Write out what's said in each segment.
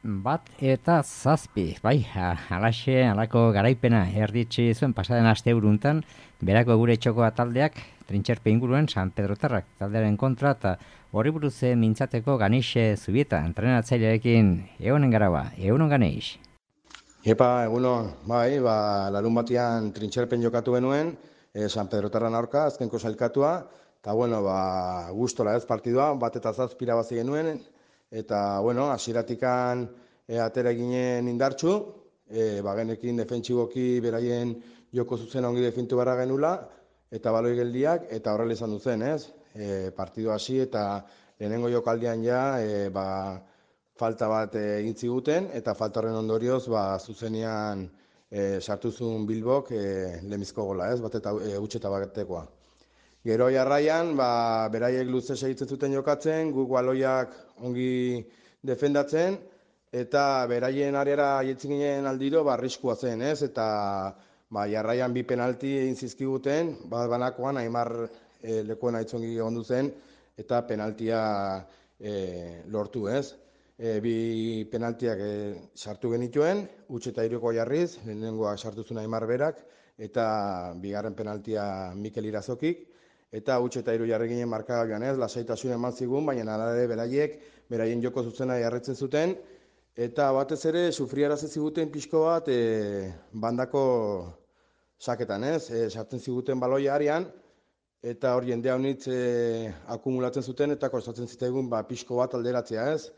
1-7, bai, halako garaipena erditsi zuen pasaden aste uruntan, berako gure txokoa taldeak, Trintxerpe inguruen San Pedrotarrak taldearen kontra, eta horri buruz mintzateko Ganixe Zubieta, entrenatzailearekin egonen garaua, egunon Ganeix. Epa, egunon, bai, larun batian Trintxerpen jokatu genuen, San Pedrotarran aurka, azkenko sailkatua, eta bueno, gustora ez partidua, 1-7 irabazi genuen, eta bueno, hasieratikan atera ginen indartsu, genekin defentsiboki beraien joko zuzen ongi defintu barra genula, eta baloi geldiak, eta horrela izan duzen, ez? Partidu hasi eta lehenengo jokaldian ja, falta bat egin ziguten, eta falta horren ondorioz, zuzenean sartu zuen Bilbok lemizko gola, ez? Utxeta batekoa. Gero jarraian, beraiek luze segitzen zuten jokatzen, guk baloiak ongi defendatzen, eta beraien areara jetzen ginen aldiro, arriskua zen, ez? Eta jarraian 2 penalti egin zizkiguten, banakoan Aimar lekuan aitzongi ondu zen, eta penaltia lortu, ez? 2 penaltiak sartu genituen, Utxeta iruko jarriz, lehenengoa sartu zuen Aimar berak, eta bigarren penaltia Mikel Irazokik, eta Utxeta iru jarri ginen markagailuan, ez? Lasaitasun eman zigun, baina alare beraien joko zuzena jarretzen zuten, eta batez ere sufriarazi ziguten pixko bat bandako saketan, ez? Sartzen ziguten baloia arian, eta hor jendea honitz akumulatzen zuten, eta kostatzen zitaigun pixko bat alderatzea, ez?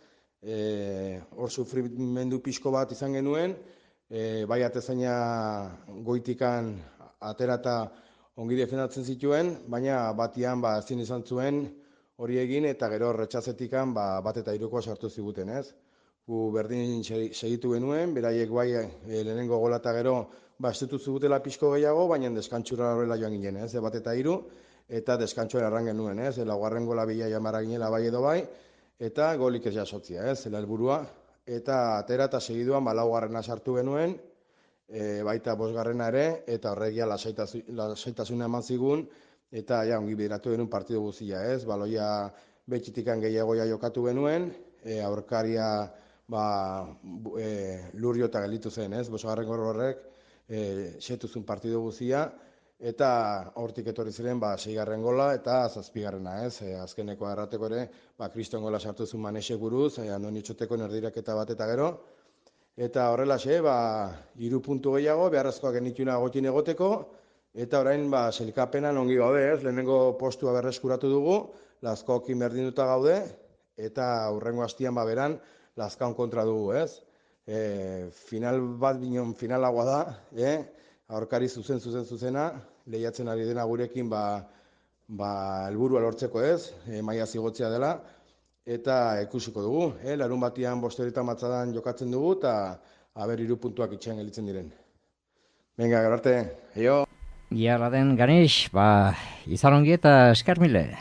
Hor sufrimendu pixko bat izan genuen, bai atezaina goitikan aterata ongi defendatzen zituen, baina batian ezin izan zuen hori egin, eta gero retxazetikan 1-3 sartu ziguten, ez? Gu berdin segitu genuen, beraiek bai lehenengo gola eta gero estutu zigutela pixko gehiago, baina deskantxura horrela joan ginen, ez? 1-3, eta deskantxoa erran genuen, ez? Laugarren gola bila jamara ginela bai edo bai, eta golik ez jasotzia, ez? Zela helburua, eta atera eta segiduan laugarrena sartu genuen, baita 5. ere, eta horregia lasaitasuna eman zigun, eta ongi bideratu genuen partidu guztia, ez? Baloia betxitikan gehiagoia jokatu genuen, aurkaria lurrio eta gelditu zen, ez? 5. gol horrek setuzun partidu guztia, eta hortik etorri ziren 6. gola eta 7. ez? Azkeneko errateko ere, kriston gola sartu zuen Manesek buruz, Andoni Txoteko erdiraketa bat eta gero, eta horrelaxe, 3 puntu gehiago, beharrezkoak genituna gotin egoteko, eta orain sailkapenan ongi gaude, ez? Lehenengo postua berreskuratu dugu, Lazkaokin berdinduta gaude, eta hurrengo hastian beran Lazkaon kontra dugu, ez? Final bat binon finalagoa da, aurkari zuzena, lehiatzen ari dena gurekin helburua lortzeko, ez? Maila zigotzea dela, eta ikusiko dugu, larun batian 5 matzadan jokatzen dugu, eta 3 puntuak itxean gelitzen diren. Venga, gero arte, eio! Ia laden Ganeix, izan ongi eta eskar mile.